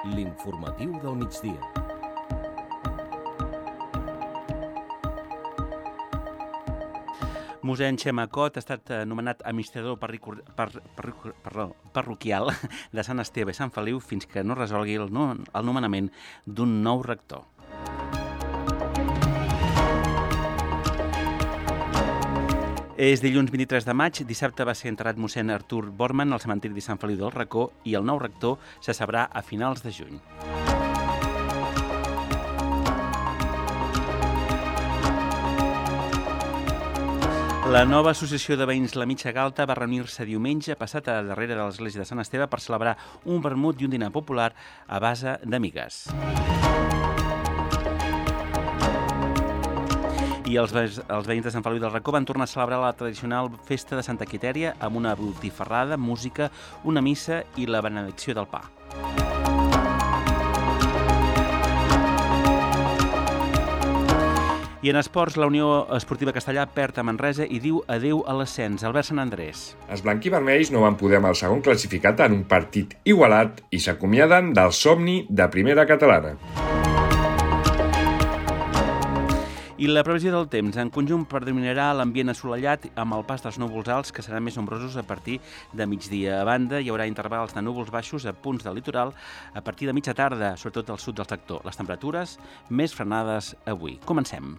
L'informatiu del migdia. Mossèn Xemacot ha estat nomenat administrador parroquial de Sant Esteve i Sant Feliu fins que no resolgui el nomenament d'un nou rector. És dilluns 23 de maig, dissabte va ser enterrat mossèn Artur Bormann al cementiri de Sant Feliu del Racó i el nou rector se sabrà a finals de juny. La nova associació de veïns La Mitja Galta va reunir-se diumenge passat a darrere de l'església de Sant Esteve per celebrar un vermut i un dinar popular a base d'amigues. I els veïns de Sant Feliu del Racó van tornar a celebrar la tradicional festa de Santa Quitèria amb una botifarrada, música, una missa i la benedicció del pa. I en esports, la Unió Esportiva Castellà perd a Manresa i diu adeu a l'ascens. Albert Sant Andrés. Els blanquivermells no van poder amb el segon classificat en un partit igualat i s'acomiaden del somni de primera catalana. I la previsió del temps. En conjunt predominarà l'ambient assolellat amb el pas dels núvols alts, que seran més nombrosos a partir de migdia. A banda, hi haurà intervals de núvols baixos a punts del litoral a partir de mitja tarda, sobretot al sud del sector. Les temperatures més frenades avui. Comencem.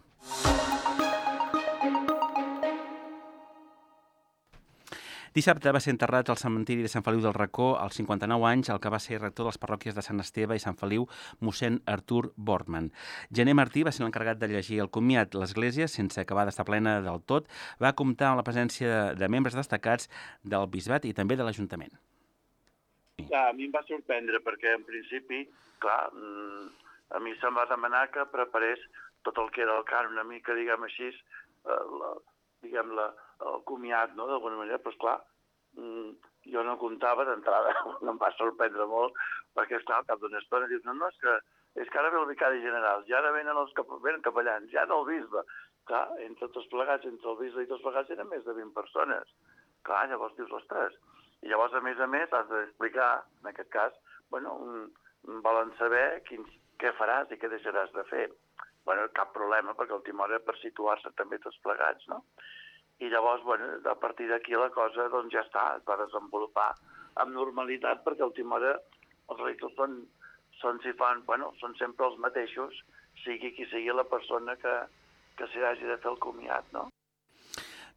Dissabte va ser enterrat al cementiri de Sant Feliu del Racó, als 59 anys, el que va ser rector de les parròquies de Sant Esteve i Sant Feliu, mossèn Artur Bormann. Gener Martí va ser l'encarregat de llegir el comiat. L'església, sense acabar d'estar plena del tot, va comptar amb la presència de membres destacats del bisbat i també de l'Ajuntament. A mi em va sorprendre perquè, en principi, clar, a mi se'm va demanar que preparés tot el que era el cant, una mica, diguem així, el comiat, no?, d'alguna manera, però esclar, jo no comptava d'entrada, em va sorprendre molt, perquè esclar, al cap d'una estona dius, no, és que ara ve el vicari general, ja ara venen els capellans, ja no el bisbe. Clar, entre tots plegats, entre el bisbe i tots plegats eren més de 20 persones. Clar, llavors dius, ostres. I llavors, a més, has d'explicar, en aquest cas, volen saber què faràs i què deixaràs de fer. Cap problema, perquè a última hora per situar-se també tots plegats, no? I llavors, a partir d'aquí la cosa ja està, es va desenvolupar amb normalitat, perquè a última hora els rectors són sempre els mateixos, sigui qui sigui la persona que s'hi hagi de fer el comiat, no?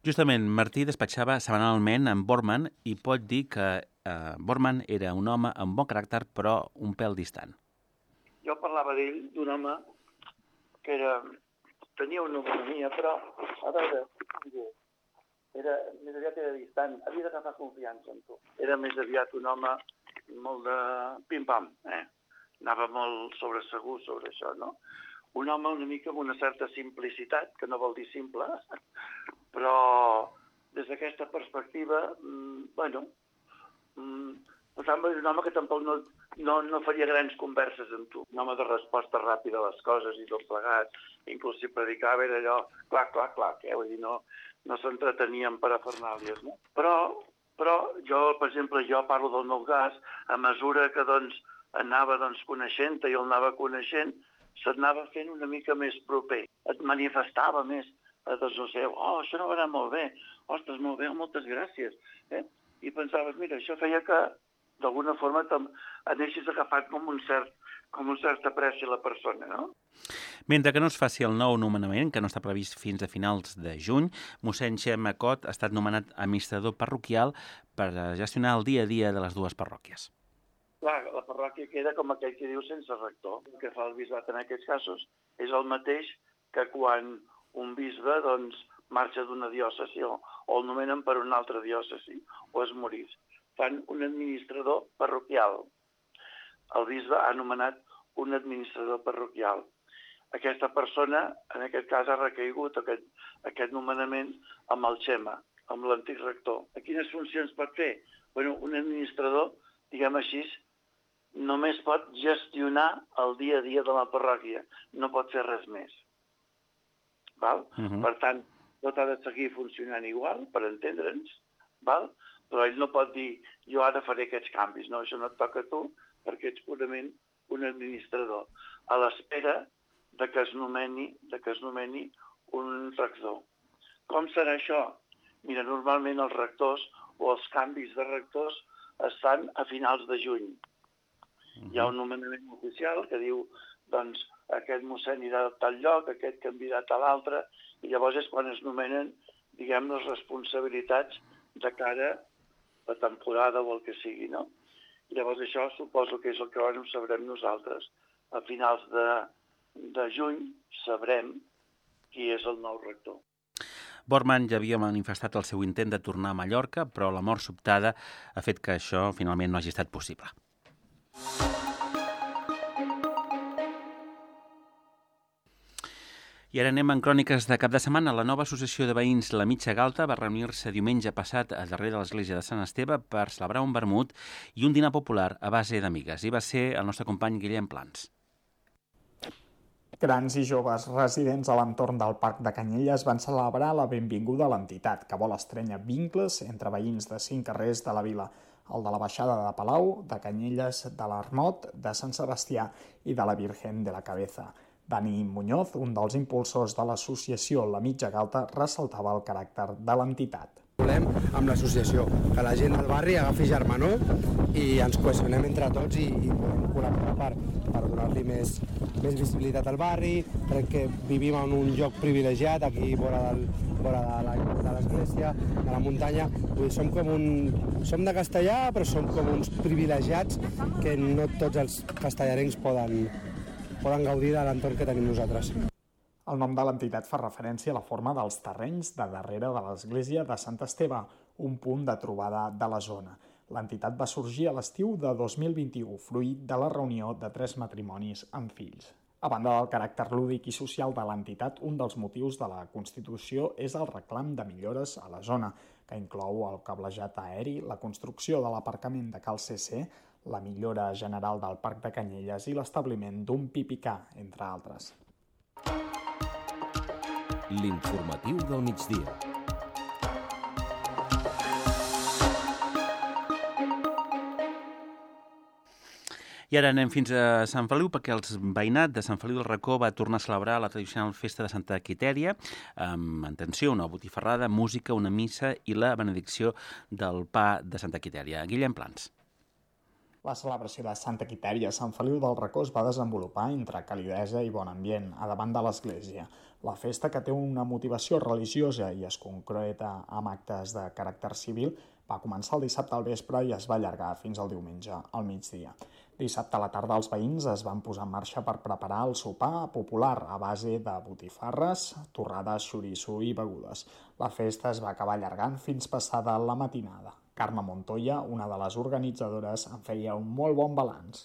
Justament, Martí despatxava setmanalment amb Bormann i pot dir que Bormann era un home amb bon caràcter, però un pèl distant. Jo parlava d'ell, d'un home que tenia una autonomia, però, a veure, més aviat era distant, havia d'agafar confiança en tu. Era més aviat un home molt de pim-pam, Anava molt sobresegur sobre això, no? Un home una mica amb una certa simplicitat, que no vol dir simple, però des d'aquesta perspectiva, per tant, és un home que tampoc no faria grans converses amb tu. Un home de resposta ràpida a les coses i tot plegat. Inclús si predicava era allò, clar, vull dir, no s'entretenia en parafernàlies, no? Però jo, per exemple, parlo del meu cas, a mesura que anava coneixent-te i el anava coneixent, se't anava fent una mica més proper. Et manifestava més. Això no va anar molt bé. Ostres, molt bé, moltes gràcies. I pensaves, mira, això feia que d'alguna forma anessis agafat com un cert apreci a la persona, no? Mentre que no es faci el nou nomenament, que no està previst fins a finals de juny, mossèn Xemacot ha estat nomenat administrador parroquial per gestionar el dia a dia de les dues parròquies. Clar, la parròquia queda com aquell que diu sense rector. El que fa el bisbat en aquests casos és el mateix que quan un bisbe marxa d'una diòcesi o el nomenen per una altra diòcesi o es morís. Fan un administrador parroquial. El bisbe ha nomenat un administrador parroquial. Aquesta persona, en aquest cas, ha recaigut aquest nomenament amb el Xema, amb l'antic rector. A quines funcions pot fer? Un administrador, diguem així, només pot gestionar el dia a dia de la parròquia, no pot fer res més. Val? Per tant, tot ha de seguir funcionant igual, per entendre'ns, val? Però ell no pot dir, jo ara faré aquests canvis. No, això no et toca a tu, perquè ets purament un administrador, a l'espera de que es nomeni un rector. Com serà això? Mira, normalment els rectors o els canvis de rectors es fan a finals de juny. Hi ha un nomenament oficial que diu, doncs, aquest mossèn irà a tal lloc, aquest canviarà a tal altre, i llavors és quan es nomenen, diguem, les responsabilitats de cara a la temporada o el que sigui, no? I llavors això suposo que és el que ara ho sabrem nosaltres. A finals de juny sabrem qui és el nou rector. Bormann ja havia manifestat el seu intent de tornar a Mallorca, però la mort sobtada ha fet que això finalment no hagi estat possible. I ara anem en cròniques de cap de setmana. La nova associació de veïns La Mitja Galta va reunir-se diumenge passat a darrere de l'església de Sant Esteve per celebrar un vermut i un dinar popular a base d'amigues. I va ser el nostre company Guillem Plans. Grans i joves residents a l'entorn del Parc de Canyelles van celebrar la benvinguda a l'entitat, que vol estrènyer vincles entre veïns de 5 carrers de la vila, el de la Baixada de Palau, de Canyelles, de l'Armot, de Sant Sebastià i de la Virgen de la Cabeza. Dani Muñoz, un dels impulsors de l'associació La Mitja Galta, ressaltava el caràcter de l'entitat. Volem amb l'associació que la gent del barri agafi germanor i ens cohesionem entre tots i podem col·laborar per donar-li més visibilitat al barri. Crec que vivim en un lloc privilegiat aquí vora de l'església, de la muntanya. Som de Castellà, però som com uns privilegiats que no tots els castellarencs poden gaudir de l'entorn que tenim nosaltres. El nom de l'entitat fa referència a la forma dels terrenys de darrere de l'església de Sant Esteve, un punt de trobada de la zona. L'entitat va sorgir a l'estiu de 2021, fruit de la reunió de 3 matrimonis amb fills. A banda del caràcter lúdic i social de l'entitat, un dels motius de la Constitució és el reclam de millores a la zona, que inclou el cablejat aeri, la construcció de l'aparcament de Cal CC, la millora general del Parc de Canyelles i l'establiment d'un pipicà, entre altres. L'informatiu del migdia. I ara anem fins a Sant Feliu perquè el veïnat de Sant Feliu del Racó va tornar a celebrar la tradicional festa de Santa Quitèria amb, atenció, una botifarrada, música, una missa i la benedicció del pa de Santa Quitèria. Guillem Plans. La celebració de Santa Quitèria a Sant Feliu del Racó es va desenvolupar entre calidesa i bon ambient, a davant de l'església. La festa, que té una motivació religiosa i es concreta amb actes de caràcter civil, va començar el dissabte al vespre i es va allargar fins al diumenge al migdia. Dissabte a la tarda els veïns es van posar en marxa per preparar el sopar popular a base de botifarres, torrades, xoriço i begudes. La festa es va acabar allargant fins passada la matinada. Carme Montoya, una de les organitzadores, en feia un molt bon balanç.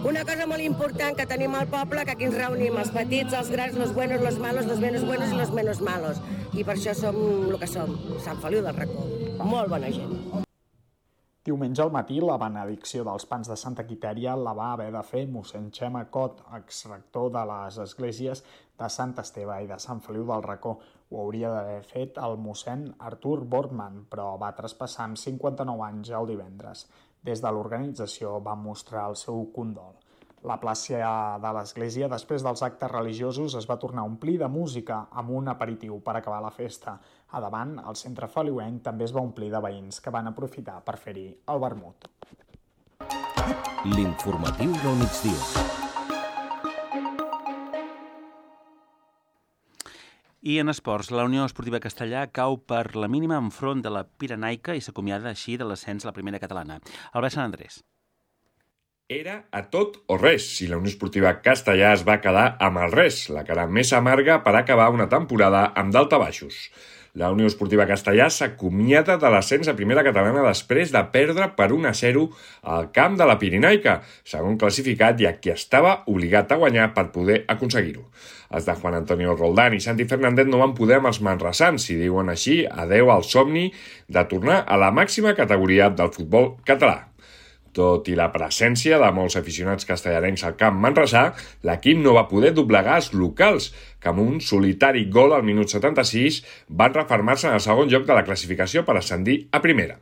Una cosa molt important que tenim al poble, que aquí ens reunim els petits, els grans, los buenos, los malos, los menos buenos i los menos malos. I per això som el que som, Sant Feliu del Racó. Molt bona gent. Diumenge al matí, la benedicció dels pans de Santa Quitèria la va haver de fer mossèn Xema Cot, exrector de les esglésies de Sant Esteve i de Sant Feliu del Racó. Ho hauria d'haver fet el mossèn Artur Bortmann, però va traspassar amb 59 anys el divendres. Des de l'organització van mostrar el seu condol. La plaça de l'església, després dels actes religiosos, es va tornar a omplir de música amb un aperitiu per acabar la festa. A davant, el centre feliuenc també es va omplir de veïns que van aprofitar per fer-hi el vermut. L'informatiu del migdia. I en esports, la Unió Esportiva Castellà cau per la mínima enfront de la Pirenaica i s'acomiada així de l'ascens a la primera catalana. Albert Sant Andrés. Era a tot o res si la Unió Esportiva Castellà es va quedar amb el res, la cara més amarga per acabar una temporada amb daltabaixos. La Unió Esportiva Castellà s'acomiada de l'ascens a primera catalana després de perdre per 1-0 al camp de la Pirenaica, segon classificat i a qui estava obligat a guanyar per poder aconseguir-ho. Els de Juan Antonio Roldán i Santi Fernández no van poder amb els manresans i diuen així adeu al somni de tornar a la màxima categoria del futbol català. Tot i la presència de molts aficionats castellarencs al camp manresà, l'equip no va poder doblegar els locals, que amb un solitari gol al minut 76 van refermar-se en el segon lloc de la classificació per ascendir a primera.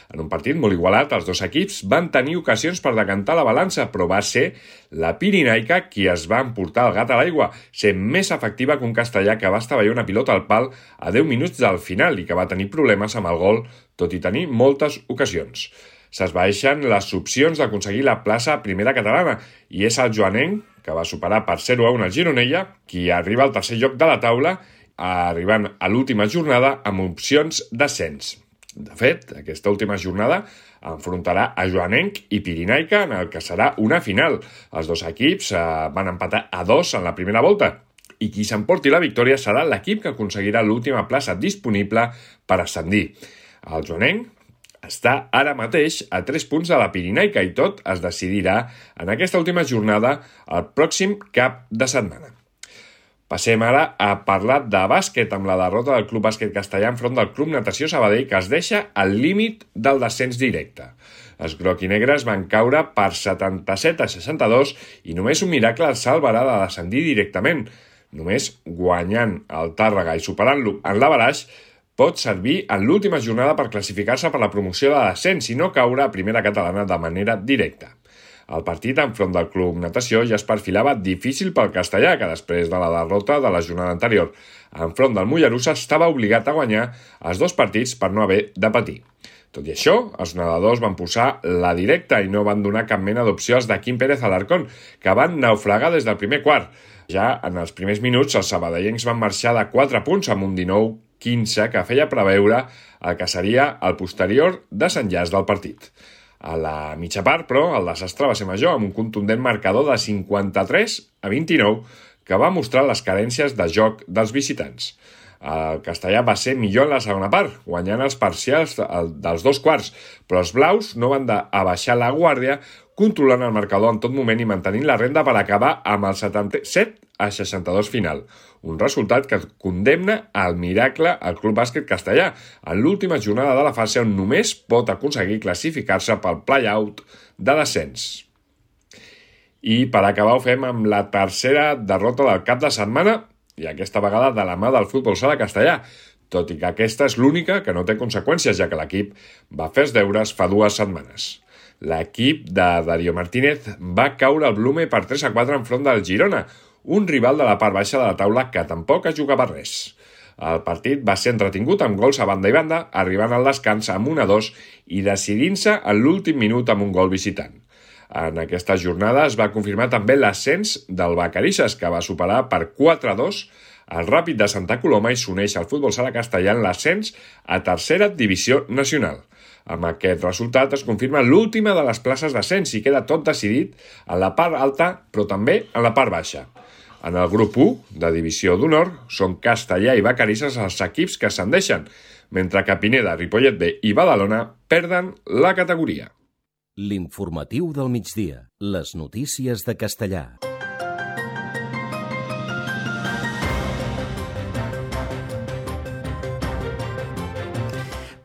En un partit molt igualat, els dos equips van tenir ocasions per decantar la balança, però va ser la Pirinaica qui es va emportar el gat a l'aigua, sent més efectiva que un castellà que va estavellar una pilota al pal a 10 minuts del final i que va tenir problemes amb el gol, tot i tenir moltes ocasions. S'esvaeixen les opcions d'aconseguir la plaça a primera catalana i és el joanenc, que va superar per 0-1 el Gironella, qui arriba al tercer lloc de la taula, arribant a l'última jornada amb opcions d'ascens. De fet, aquesta última jornada enfrontarà a joanenc i Pirinaica en el que serà una final. Els dos equips van empatar a 2 en la primera volta i qui s'emporti la victòria serà l'equip que aconseguirà l'última plaça disponible per ascendir. El joanenc està ara mateix a 3 punts de la Pirinaica i tot es decidirà en aquesta última jornada el pròxim cap de setmana. Passem ara a parlar de bàsquet amb la derrota del Club Bàsquet Castellà enfront del Club Natació Sabadell, que es deixa al límit del descens directe. Els groc-i-negres van caure per 77-62 i només un miracle els salvarà de descendir directament. Només guanyant el Tàrrega i superant-lo en l'averaix pot servir en l'última jornada per classificar-se per la promoció de descens i no caure a primera catalana de manera directa. El partit enfront del Club Natació ja es perfilava difícil pel castellà, que després de la derrota de la jornada anterior enfront del Mollerussa estava obligat a guanyar els 2 partits per no haver de patir. Tot i això, els nedadors van posar la directa i no van donar cap mena d'opció als de Quim Pérez Alarcón, que van naufragar des del primer quart. Ja en els primers minuts, els sabadellencs van marxar de 4 punts amb un 19-15 que feia preveure el que seria el posterior desenllaç del partit. A la mitja part, però, el desastre va ser major, amb un contundent marcador de 53-29 que va mostrar les carències de joc dels visitants. El castellà va ser millor en la segona part, guanyant els parcials dels 2 quarts, però els blaus no van abaixar la guàrdia, controlant el marcador en tot moment i mantenint la renda per acabar amb el 77-62 final. Un resultat que condemna al miracle al Club Bàsquet Castellà en l'última jornada de la fase on només pot aconseguir classificar-se pel play-out de descens. I per acabar ho fem amb la tercera derrota del cap de setmana i aquesta vegada de la mà del futbol sala castellà, tot i que aquesta és l'única que no té conseqüències, ja que l'equip va fer els deures fa 2 setmanes. L'equip de Darío Martínez va caure al Blume per 3-4 enfront del Girona, un rival de la part baixa de la taula que tampoc es jugava res. El partit va ser entretingut amb gols a banda i banda, arribant al descans amb 1-2 i decidint-se en l'últim minut amb un gol visitant. En aquesta jornada es va confirmar també l'ascens del Vacarisses, que va superar per 4-2 el Ràpid de Santa Coloma i s'uneix al futbol sala castellà en l'ascens a tercera divisió nacional. Amb aquest resultat es confirma l'última de les places d'ascens i queda tot decidit en la part alta, però també en la part baixa. En el grup 1 de divisió d'honor són Castellà i Vacarisses els equips que ascendeixen, mentre que Pineda, Ripollet B i Badalona perden la categoria. L'informatiu del migdia. Les notícies de Castellà.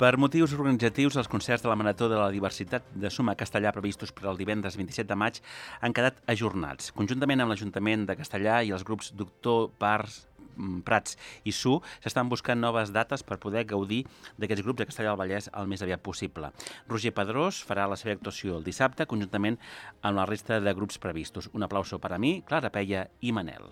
Per motius organitzatius, els concerts de la Marató de la Diversitat de Suma Castellà previstos per al divendres 27 de maig han quedat ajornats. Conjuntament amb l'Ajuntament de Castellà i els grups Doctor, Prats i Su s'estan buscant noves dates per poder gaudir d'aquests grups a Castellà del Vallès el més aviat possible. Roger Pedrós farà la seva actuació el dissabte conjuntament amb la resta de grups previstos. Un aplauso per a mi, Clara Peia i Manel.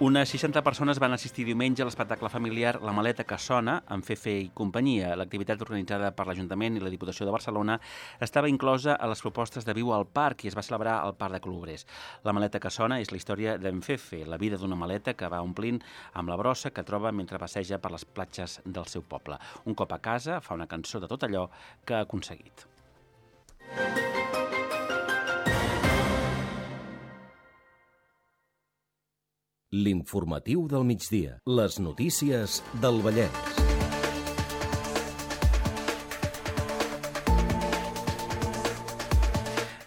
Unes 60 persones van assistir diumenge a l'espectacle familiar La maleta que sona, amb Fefe i companyia. L'activitat organitzada per l'Ajuntament i la Diputació de Barcelona estava inclosa a les propostes de Viu al Parc i es va celebrar al Parc de Colobrers. La maleta que sona és la història d'en Fefe, la vida d'una maleta que va omplint amb la brossa que troba mentre passeja per les platges del seu poble. Un cop a casa fa una cançó de tot allò que ha aconseguit. L'informatiu del migdia. Les notícies del Vallès.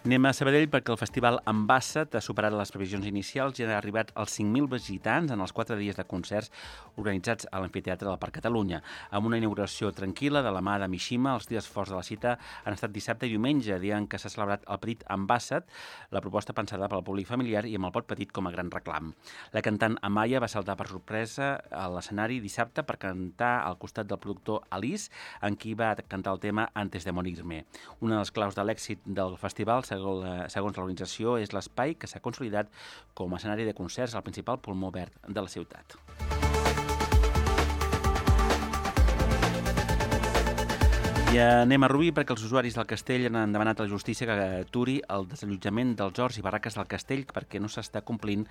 Anem a Sabadell perquè el festival Ambassat ha superat les previsions inicials i ha arribat als 5.000 visitants en els 4 dies de concerts organitzats a l'Amfiteatre del Parc Catalunya. Amb una inauguració tranquil·la de la mà de Mishima, els dies forts de la cita han estat dissabte i diumenge, dia en què s'ha celebrat el petit Ambassat, la proposta pensada pel públic familiar i amb el pot petit com a gran reclam. La cantant Amaya va saltar per sorpresa a l'escenari dissabte per cantar al costat del productor Alice, en qui va cantar el tema Antes de morirme. Una de les claus de l'èxit del festival, segons l'organització, és l'espai que s'ha consolidat com a escenari de concerts al principal pulmó verd de la ciutat. I anem a Rubí perquè els usuaris del castell han demanat a la justícia que aturi el desallotjament dels horts i barraques del castell perquè no s'està complint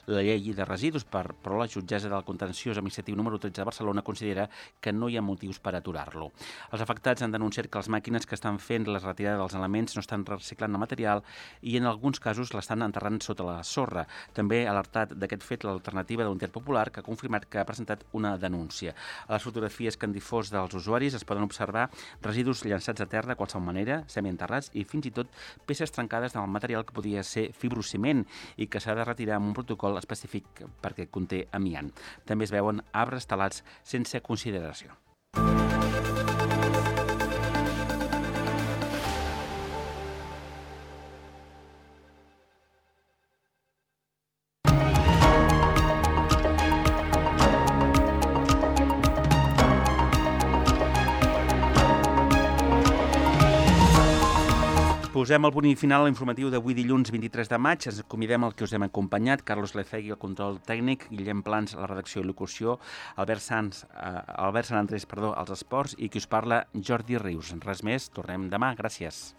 la llei de residus, però la jutgessa del contenciós administratiu número 13 de Barcelona considera que no hi ha motius per aturar-lo. Els afectats han denunciat que les màquines que estan fent la retirada dels elements no estan reciclant el material i en alguns casos l'estan enterrant sota la sorra. També ha alertat d'aquest fet l'alternativa de l'Unitat Popular, que ha confirmat que ha presentat una denúncia. A les fotografies que han difós dels usuaris es poden observar residus llançats a terra de qualsevol manera, semienterrats i fins i tot peces trencades del material que podia ser fibrociment i que s'ha de retirar amb un protocol específic perquè conté amiant. També es veuen arbres talats sense consideració. Posem el punt final a l'informatiu d'avui dilluns 23 de maig. Ens convidem al que us hem acompanyat, Carlos Lecegui, el control tècnic, Guillem Plans, la redacció i locució, Albert Sant Andrés, als esports i qui us parla, Jordi Rius. Res més, tornem demà. Gràcies.